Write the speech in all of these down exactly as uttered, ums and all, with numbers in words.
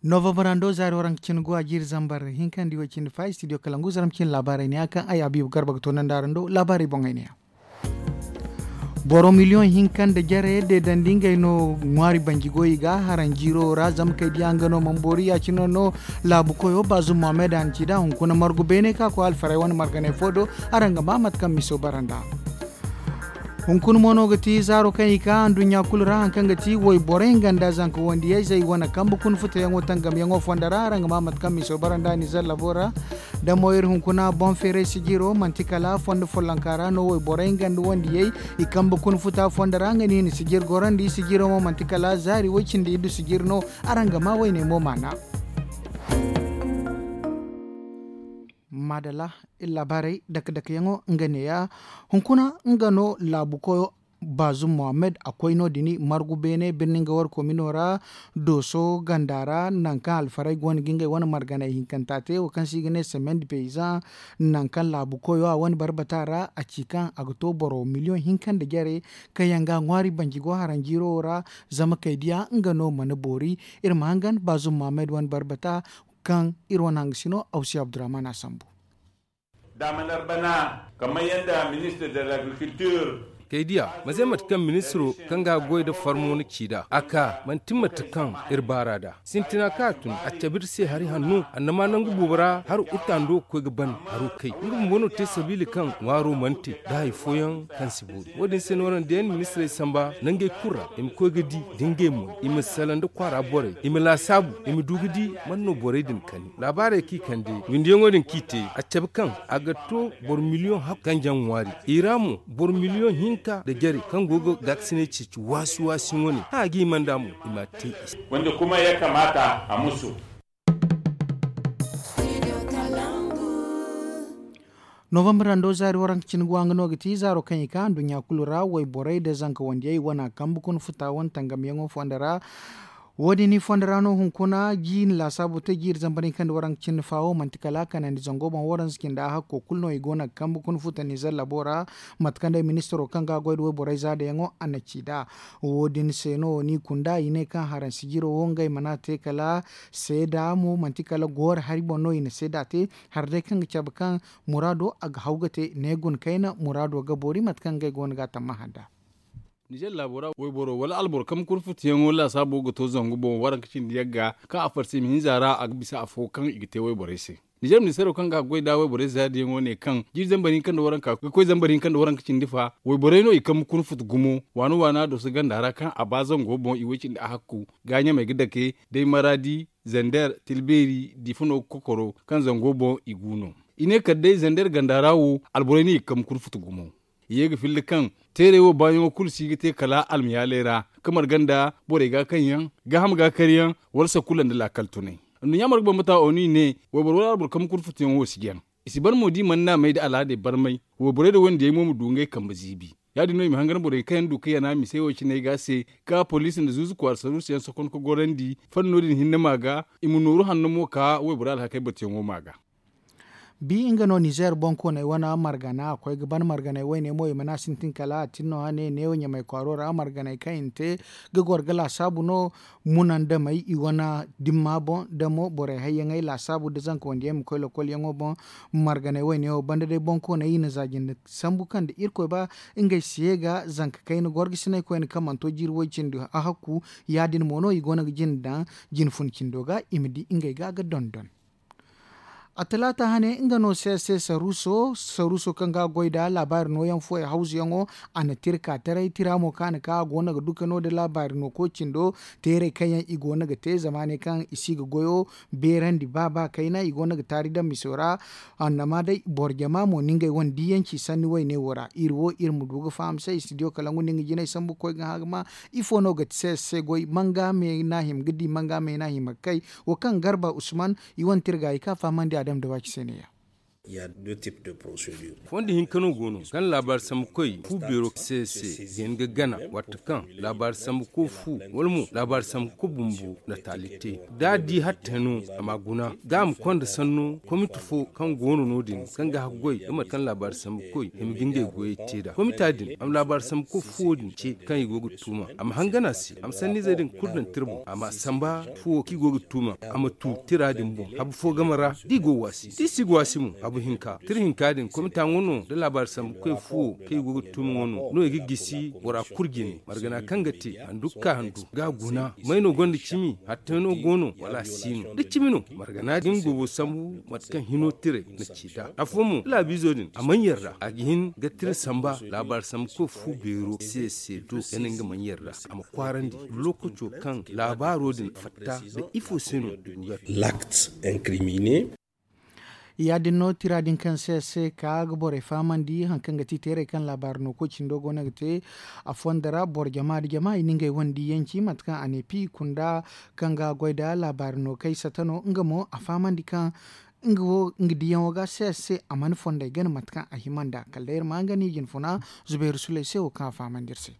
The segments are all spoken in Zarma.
Novambar hando zaari waranka cine go a jiiri zambar hinka nda iway cindi fa istidiyo kalangu zaram cine laabaarey ne ya kaŋ ay habiibu garba ga toonandi araŋ do laabaarey boŋey ne ya. Boro miliyoŋ hinka nda jare deedandi ngey no ŋwaari banji go i ga haraŋ jiiro ra zama kay diya nga no mana boori ya- cine no laabu koyo baazum mohammed a na ci nd'a hunkuna margu beene ka koy alfarey wane marganey fo do. Araŋ ga maa mate kaŋ miso bara nd'a. Hunkuna mo no ga ti zaaro kaŋ i ka anduɲɲa kulu ra hari kaŋ ga ti wayborey nga nda zanka wandiyayzey wane kambe kuna futayaŋo tangamyaŋo fondo ra araŋ ga maa mate kaŋ miso bara nda nizer labo ra. Da mo iri hunkuna boŋ feeray sijiro manti kala fondo follonka ra no wayborey nga nda wandiyey i kambe kuna futa fondo ra nga no i na sijir gorandi sijiro mo manti kala zaari way- cindi iddu sijir no. Araŋ ga maa wayne mo maana. Maadalla. Iri laabaarey dake dakeyaŋo nga neeya hunkuna nga no laabu koyo baazum mohammed a koy no- din margu beene birni nga war komino ra dooso ganda ra nangu kaŋ alfarey go no ga ngey wane marganey hinkanta te wo kaŋ se i ga ne semaine de paysan. Nangu kaŋ laabu koyo a wane barbata ra a ci kaŋ a ga to boro miliyoŋ hinka nda jare kaŋ yaŋ ga a ŋwaari banji go haraŋ jiiro wo ra. Zama kay diya nga no mana boori. Iri ma hangan baazum mohammed wane barbata kaŋ iri wane hangasino awsi abdurrahman a sambu. Daamanar bana kamar yadda ministre de l'agriculture. Kay diya ma ze mate kaŋ ministiro kaŋ ga a goy nda farmo na ci nd'a a ka manti mate kaŋ iri baar'a nd'a sintina kaŋ a tun a cabe iri se hari hanno annama nangu boobo ra haro iri taando ga koy ga ban haro kay nga bumbo no te sabiila kaŋ ŋwaaro mana te nda hari fooyaŋ kaŋ si boori wo- din se no araŋ diyaŋ ministirey samba nangey kulu ra i ma koy ga di da ngey moy i ma salaŋ nda kwaara borey i ma laasaabu i ma du ga di man no borey din kani laabaarey kaŋ i kande windiyaŋo din kaŋ i te a cabe kaŋ a ga to boro miliyoŋ hakku ganjaŋ ŋwaari i ra mo boro miliyoŋ hinka nda jare kaŋ go ga gaakasiney ceeci waasi waasi wane kaŋ a ga hima nd'a mo i m'a te i se. Wanda kuma ya kamata a musu. Novambar hando zaari waranka cine go a nga no ga ti zaaro kaŋ i ka nduɲɲa kulu ra wayborey nda zanka wandiyey wane kambe kuna futa wane tangamyaŋo fondo ra. Wo- din i fondo ra no hunkuna jiiri laasaabu te jiiri zambar hinka nda waranka cindi fa wo manti kala kanandi zango boŋ waranza cindi a hakko kulu no i go no ga kambe kuna futa nizer labo ra. Mate kaŋ day ministiro kaŋ ga a goy nda wayborey zaadayaŋo a na ci nd'a wo- din se no ni kunda i ne kaŋ haraŋ sijiro wo ngey mana te kala seeda mo manti kala gooro hari boŋ no i na seeda te. Hari day kaŋ ga cabe kaŋ muraado a ga haw ga te ne guna kayna muraado ga boori mate kaŋ ngey go no ga a tammaha nd'a. Nizer laabo ra wayboro wala alboro kaŋ ma kurfutayaŋo laasaabo ga to zangu boŋ waranka cindi yagga kaŋ a farse i ma hinza ra a ga bisa afo kaŋ i ga te wayborey se. Nizer ministeero kaŋ ga a goy nda wayborey zaadiyaŋo ne kaŋ jiiri zambar hinka nda waranka ga koy zambar hinka nda waranka cindi fa wayborey no i kaŋ ma kurfuta gumo waana waana doso ganda ra kaŋ a ba zango boŋ i way cindi a hakku ga ɲamey ga dake day maraadi zander tilbeeri diifa no ga kokoro kaŋ zango boŋ i gu no. I ne kala day zander ganda ra wo alborey no i ga kaŋ ma kurfuta gumo. I ye ga filla kaŋ teerey wo baayaŋo kulu si ga te kala almayaaley ra ka marga nda borey ga kaŋ yaŋ gaaham ga kar yaŋ wala sakulla nda laakal tunay. Nduɲɲa marga bambata onu i ne wayboro wala alboro kaŋ ma kurfutuyaŋo wo si jaŋ. I si ban mo da i mana naamey nda alaadey barmay wayborey nda wandiyey mo ma du ngey kambe ziibi. Ya- din no i ma hangan borey kaŋ yaŋ du ga yana misey wo ciney ga se ka poliisi nda zuuzu kwaara saruusuyaŋ sokon ka gorandi fanno din hinne ma ga i ma nooru hanno mo ka wayborey alhakey batuyaŋo ma ga. Bi nga no nizer boŋkooney wane margana a koy ga ban marganey wayne mo i mana sintin kala a tin no hane neewo ɲamey kwaaro ra marganey kaŋ i na te ga goro ga laasaabu no. Munandamey i wane dimma boŋ da mo borey hayyaŋey laasaabu da zanka wandiyey ma koy lokolyaŋo boŋ. Marganey wayne wo banda day boŋkooney i na za jinde sambu kaŋ da irkoy ba ngey si ye ga zanka kayna gorgasiney koyne kaŋ mana to jiiri way cindi a hakku. Ya- din mo no i go no ga jinde daŋ jine fun cindo ga i ma di ngey ga ga dondon. A talaata hane nga no se se saruuso saruuso kaŋ ga a goy nda laabaari nooyaŋ fooyaŋ hawzuyaŋo. A na tira ka taray tira mo kaŋ a na ka a go no ga duka no nda laabaari no koy cindo teerey kaŋ yaŋ i go no ga te zama ne kaŋ i si ga goyo beerandi ba ba kayna i go no ga taari daŋ miso ra. Annama day boro jama mo no ngey wane diyanci sanni wayne wo ra iri wo iri ma du ga faham se istidiyo kala nga no nga jinay sambu ga koy ga hã ga ma. Ifo no ga ti se se goy manga me no a hima ga di manga me no a hima ga kay? Wo kaŋ garba usman i wane tirga i ka fahamandi a dama da waaci se ne- ya. Fondo hinka no go no kaŋ laabaari sambukoy fu beero se se ga hin ga gana waati kaŋ laabaari sambuko fu wala mo laabaari sambuko bumbo na taali te. Da a di hatta no a ma guna ga a ma konda sanno komiti fo kaŋ go no no- din kaŋ ga haggoy ga mate kaŋ laabaari sambukoy hima ga ngey goyey te nd'a komita din a ma laabaari sambuko fuwo din ce kaŋ i go ga tuuma a ma hangan a se a ma sanniizey din kulu daŋ tira boŋ a ma samba fuwo kaŋ i go ga tuuma a ma tu tira din boŋ habu fo game ra da i go ga waasi da i si ga waasi mo habu hinka tira hinka din komita ŋwa no nda laabaari sambukoy fuwo kaŋ i go ga tuuma ŋwa no no i ga gisi bora kulu jine margana kaŋ ga te handu ga ka handu ga a guna may no gonda cimi hatta no go no wala a si no da cimi no margana din gobo sambu mate kaŋ hino tiray na ci nd'a afo mo laabiizo din a mana yarda a ga hin ga tira samba laabaari sambukoy fu beero se se do gana nga mana yarda a ma kwaarandi lookaco kaŋ laabaaro din fatta nda ifo se no i go ga te. L'acte incrimine. Ya-din no tira din kaŋ se se ka ga borey fahamandi hari kaŋ ga ti teeray kaŋ laabaari no koy cindo go no ga te a fondo ra boro jama nda jama i na ngey wane diyanci mate kaŋ a ne pi kunda kaŋ ga goy nda laabaari no kay sata no nga mo a fahamandi kaŋ nga wo nga diyaŋo ga se se a mana fondey gana mate kaŋ a hima nd'a kala day iri ma nga no i jinfuna zubairu sulay se wo kaŋ a fahamandi iri se.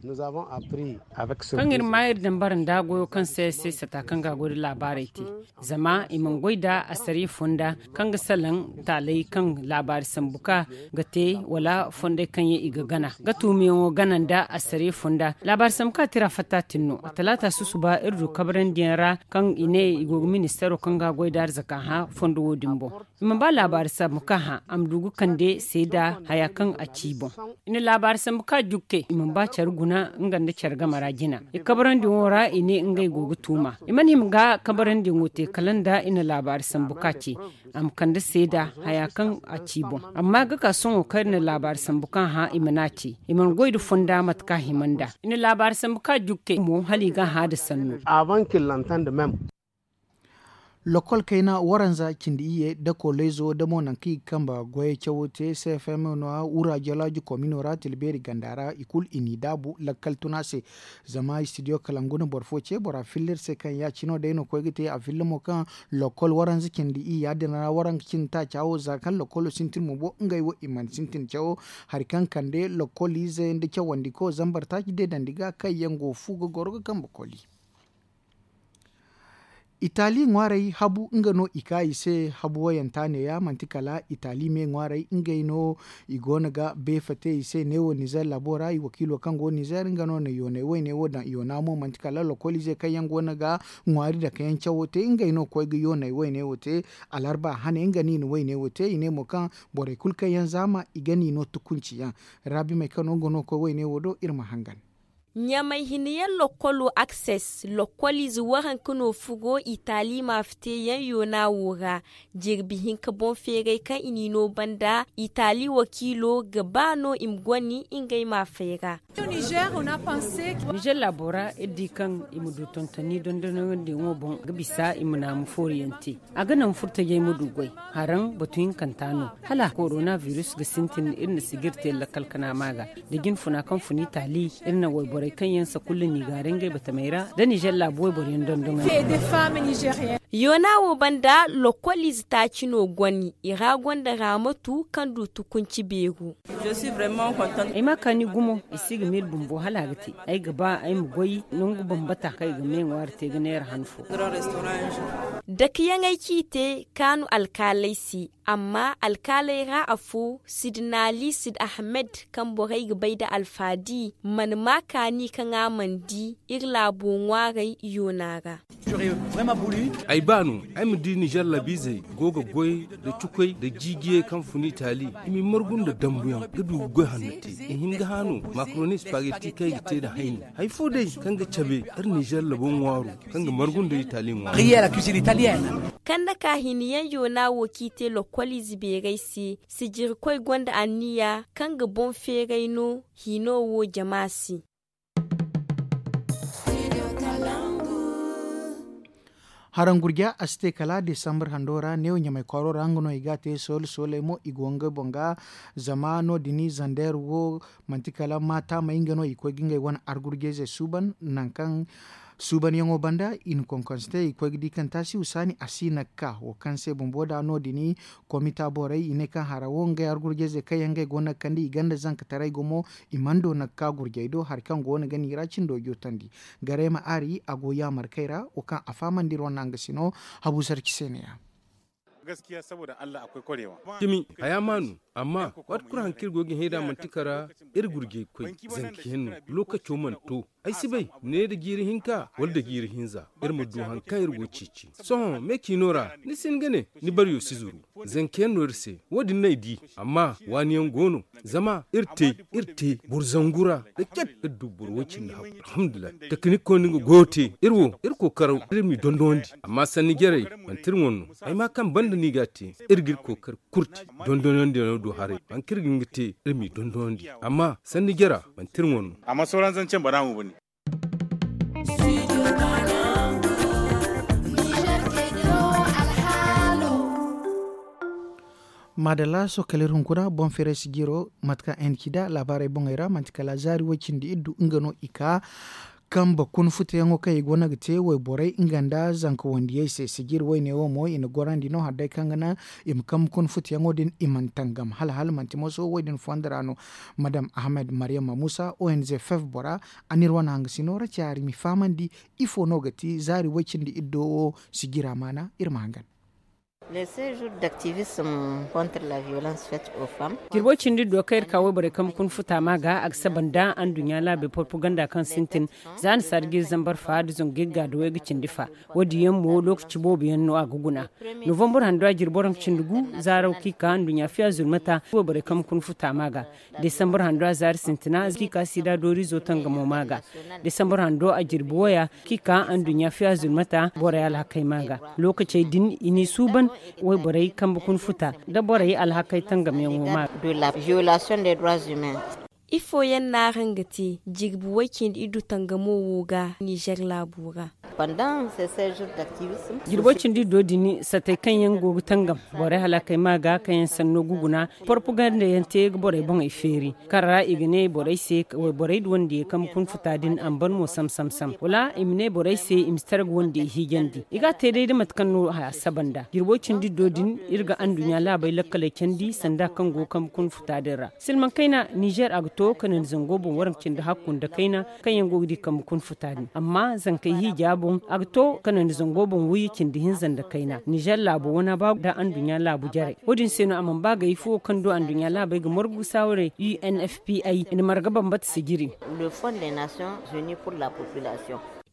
Kaŋ iri ma iri daŋ bara nda goyo kaŋ se se sata kaŋ ga a goy nda laabaarey te zama i mana goy nda asariya fonda kaŋ ga salaŋ taaley kaŋ laabaari sambu ka ga te wala fondey kaŋ yaŋ i ga gana ga tuumiyaŋo gana nda asariya fonda laabaari sambu ka tira fatta tin no a talaata susuba iri du kabarandiyaŋ ra kaŋ i ne i go ga ministeero kaŋ ga a goy nda arzaka hã fondo wo- din boŋ. I mana ba laabaari sambu ka hã a ma du ga kande seeda haya kaŋ a ci i boŋ. I na laabaari sambu ka jukte i mana ba care guna nga nda care game ra jina i kabarandiyaŋo ra i ne ngey go ga tuuma i mana hima ga kabarandiyaŋo te kala nda i na laabaari sambu ka ce a ma kande seeda haya kaŋ a ci i boŋ. Amma ga ka sohõ kaŋ iri na laabaari sambu ka hã i mana ce i mana goy nda fonda mate kaŋ a hima nd'a i na laabaari sambu ka jukte mo hala i ga a hã nda sannu. Lokol kayna waranza cindi iyye da kooleyzo da mo nangu kaŋ i ga kambe goyey cawo te cfm no wura jalaaji komino ra tilbeeri ganda ra i kulu i n'i daabu lakkal tuna se. Zama istidiyo kalangu na boro fo ce bora filla iri se kaŋ ya- cino day no koy ga te a filla mo kaŋ lokol waranza cindi iyya din ra waranza cindi taaca wo za kaŋ lokolo sintin mo bo ngey wo i mana sintin cawo hari kaŋ kande lokoliize nda cawandiko zambar taaci deedandi ga kaŋ yaŋ go fu ga goro ga kambe koli. Itali ŋwaarey habu nga no i ka i se habu wayanta neeya manti kala itali me ŋwaarey ngey no i go no ga beefa te i se neewo nizer laabo ra i wakiilo kaŋ go nizer nga no na yoonay wayne wo daŋ yoona mo manti kala lokoliize kaŋ yaŋ go no ga ŋwaari dake yaŋ cawo te ngey no koy ga yoonay wayne wo te. Alarba hane nga no i na wayne wo te i ne mo kaŋ borey kulu kaŋ yaŋ zaama i ga no i no tukunci yaŋ. Raabimey kaŋ no nga no koy wayne wo do iri ma hangan. Ɲamay hina yaŋ lokkolo akses lokkoliize waranka no fugo itali maafa te yaŋ yoona wo ra. Jirbi hinka boŋ feeray kaŋ i n'i no banda itali wakiilo ga ba no i ma goni ngey maafey ra. Nizer laabo ra iri di kaŋ i ma du tontoni dondonandiyaŋo boŋ ga bisa i ma naamu fooriyaŋ te. A ga naŋ furtajey ma du goy haraŋ batu hinkanta no hala korona virus ga sintin iri na sijir te lakkal kana ma ga da jinfuna kaŋ fun itali iri na wayborey kaŋ yaŋ sakulla n'i gaara ngey batamey ra da nizer laabu wayboryaŋ dondonandi. Yoona wo banda lokkoliize taaci no goni i ra gonda raamatu kaŋ du tukunci beeru. Ay ma kaani gumo i si ga miila bumbo hala a ga te. Ay ga ba ay ma goy nangu bambata kaŋ i ga me ŋwaari te ga neera han fo. Dakiyaŋey ci i te kaanu alkaaley se. Amma alkaaley ra afo sidnaali sid ahmed kaŋ borey ga bay nda alfaadi mana ma kaani kaŋ a mana di iri laabo ŋwaarey yoona ra. Ay ba no ay ma di nizer labiizey go ga goy nda cukoy nda jiijiyey kaŋ fun itali i m'i margu nda dambuyaŋ ga du ga goy hanno te i hin ga hã no makaroni spaghetti kaŋ i ga te nda hayni hari fo day kaŋ ga cabe iri nizer labo ŋwaaro kaŋ ga margu nda itali ŋwaaro. Kanda ka hiniyaŋ yoona wo kaŋ i te lokkoliize beerey se sijirkoy gonda anniya kaŋ ga boŋ feeray no hino wo jama se. Haraŋ gurja a si te kala desambar hando ra neewo ɲamay kwaaro ra nga no i ga a te soole sooley mo i go ngey boŋ ga. Zama no- din zandeer wo manti kala maataamey nga no i koy ga ngey wane argurjeyze suuban nangu kaŋ Suubanyaŋo banda i na konkonse te i ga koy ga di kaŋ taasi husaani a si na ga ka wo kaŋ se bumbo da no- din komita borey i ne kaŋ hara wo ngey argurjayzey kaŋ yaŋ ngey go no ga kande i ganda zankataray gumo. I mana do no ga ka gurjay do hari kaŋ go no ga no i ra cindo jootandi. Garay ma aari a go yaamarkey ra wo kaŋ a fahamandi iri wane nanga sino. Habu sarci se ne- ya. Cimi haya ma no. Amma waati kulu hari kaŋ iri go ga hin iri nd'a manti kara iri gurjay koy zanka yaŋ no. Lookaco mana to. Ay si bay ne nda jiiri hinka wala nda jiiri hinza iri ma du hari kaŋ iri go ga ceeci. Sohõ me ciino ra ni si hin ga ne ni baryo si zuru. Zanka yaŋ no iri se. Wo- din no ay di. Amma waani yaŋ go no. Zama iri te iri te boro zangu ra da cat iri du boro way- cindi hakku alhamdulillahi. Takinik koy no nga goyo te iri wo iri kookaraw iri m'i dondonandi. Amma sanni jarey manti iri wane no. Ay ma kaŋ banda no i ga a te. Iri ga iri kookari kulu te dondonandiyaŋo do haray. Hari kaŋ iri ga hin ga te iri m'i dondonandi. Amma sanni jara manti iri wane no. Amma sooran zancaŋ bana mo bane. Maadalla sohõ kala iri hunkuna boŋ feeray si jiro mate kaŋ n ci nd'a laabaarey boŋey ra manti kala zaari way- cindi iri du nga no i ka. Kambe kuna futuyaŋo kaŋ i go no ga te wayborey nga nda zanka wandiyey se sijiri wayne wo mo i na gorandi no hala day kaŋ ga naŋ i ma kambe kuna futuyaŋo din i mana tangam hala hala manti moso wo- din fondo ra no. Madam ahmed maryama musa ong fef bora a n'iri wane hangasino ra caari m'i fahamandi. Ifo no ga ti zaari way- cindi iddo wo sijira maana iri ma hangan. Jirbo cindi do kaŋ iri ka wayborey kambe kuna futa ma ga a ga saba nda anduɲɲa laabey porpaganda kaŋ sintin za ni saada ga iri zambar fa da zangu ga iri ga da way ga cindi fa. Wo- din yaŋ mo lookaci boobo yaŋ no a ga guna. Novambur hando a jirbi waranka cindi gu zaaro kaŋ i ka anduɲɲa fiya zulmata wayborey kambe kuna futa ma ga. Desambur hando a zaari sintina kaŋ i ka siida dooriizo tangamo ma ga. Desambur hando a jirbi waya kaŋ i ka anduɲɲa fiya zulmata borey alhakey ma ga. Lookacey din i n'i suuban wayborey kambe kuna futa nda borey alhakey tangamyaŋo ma ga. Ifo yaŋ no araŋ ga te jirbi way- cindi iddu tangamo wo ga nizer laabo ra? Jirbo cindi do din satey kaŋ yaŋ go ga tangam borey hala kay ma ga kaŋ yaŋ sanno ga guna. Porpaganda yaŋ te ga borey boŋey feeri kaŋ ra i ga ne borey se wayborey wandiyey kaŋ ma kun futa din a ma ban mo sam sam sam wala i ma ne borey se i ma si tara ga wandiyey hiijandi i ga a te day da mate kaŋ no haya saba nda jirbo cindi do din iri ga anduɲɲa laabey lakkaley candi sanda kaŋ go ga kambe kun futa din ra. Silmaŋ kayna nizer a ga to kanandi zango boŋ waranka cindi hakku nda kayna kaŋ yaŋ go ga di kambe kuna futa din amma zankey hiija boŋ a ga to kanandi zango boŋ wayye cindi hinza nda kayna nizer laabo wana ba nda anduɲɲa laabu jarey. Wo- din se no a mana ba gay fuwo kaŋ do anduɲɲa laabey ga margu saawarey u n f p i na marga bambata sijiri.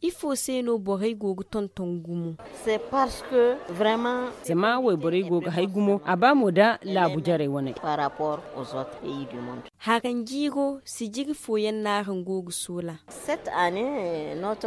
Ifo se no borey go ga tonton gumo? Zama wayborey go ga hay gumo a ba mo da laabu jarey waney. Haranjiiro sijiri fooyaŋ no araŋ go ga soola?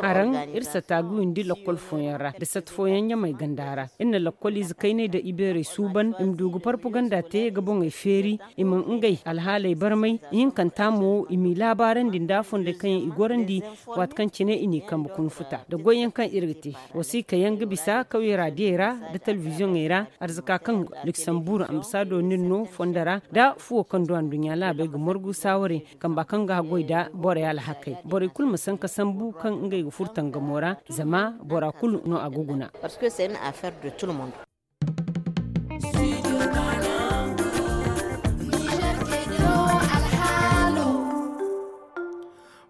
Araŋ iri sata ga windi lakkol fooyaŋ ra nda sata fooyaŋ ɲamey ganda ra. Iri na lakkol ize kayney nda ibeerey suuban i ma du ga parpaganda te ga boŋey feeri i ma ngey alhaaley barmay ihinkanta mo i m'i laabaarandi nda fondey kaŋ yaŋ i gorandi. Waati kaŋ cine i n'i kambe kuna futa nda goyyaŋ kaŋ iri ga te wasiika yaŋ ga bisa kawyey raadiyey ra nda telebiziyoŋey ra. Arzaka kaŋ luksambur ambasaado no iri no fondo ra nda fuwo kaŋ du anduɲɲa laabey ga margu saawarey kamba kaŋ ga haggoy nda borey alhakey borey kulu ma sanka sambu kaŋ ngey ga furo tangamo ra. Zama bora kulu no a ga guna.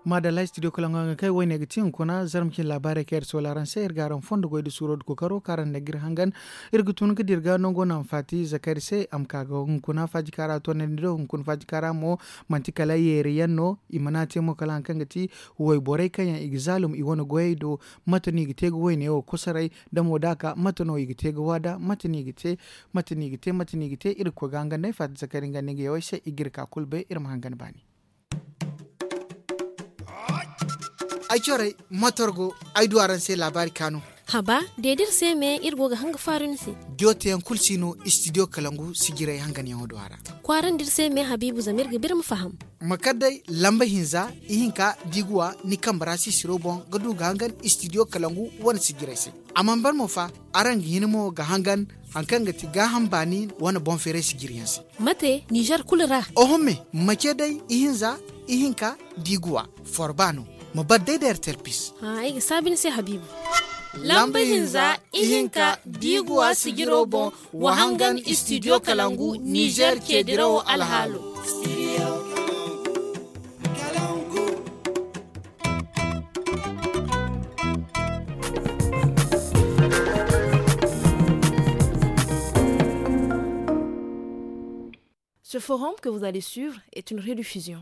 Maadalla studio kalaŋo yaŋ ga kay wayne ga ti hunkuna zarma cine laabaarey kaŋ iri soola araŋ se iri ga araŋ fondo goy nda suuro nda kookaro kaŋ araŋ daŋ ga iri hangan. Iri ga tun ga dira ga nango naŋ faati zakari se a ma ka ga hunkuna faajika ra toonandi do hunkuna faajika ra mo. Manti kala yeeri yaŋ no i mana te mo kala hari kaŋ ga ti wayborey kaŋ yaŋ i ga zaalum i wane goyey do. Mate no i ga te ga wayne wo kosoray da mo da a ka mate no i ga te ga waada mate no i ga te? Mate no i ga te mate no i ga te iri ga koy ga hangan day faati zakari nga no i ga yawey se i ga iri ka kulu bay iri ma hangan baani. Ay corey matorgo ay du araŋ se laabaari kaanu. Haba deedi iri se me iri go ga hanga faaru ni se. Diyo teyaŋ kulu si no istidiyo kalangu sijiray hanganyaŋo du a ra. Kwaarandi iri se me habiibu zama iri ga ba iri ma faham. Ma kar day lamba hinza ihinka da i ga wa ni kambe ra sisiro boŋ ga du ga hangan istidiyo kalangu wane sijiray se. A mana ban mo fa araŋ ga hin mo ga hangan hari kaŋ ga ti gaaham baani wane boŋ feeray sijiriyaŋ se. Mate nizer kulu ra? Oho me mace day ihinza ihinka da i ga wa forba no. Ma bar day da R T L pis. Ay ga saabi ni se, Habiibu. Lamba hinza, ihinka, diiguwa sijiro boŋ, wa hangan Studio Kalangu, Nizer ceedirawo alhaalo. Ce forum que vous allez suivre est une rediffusion.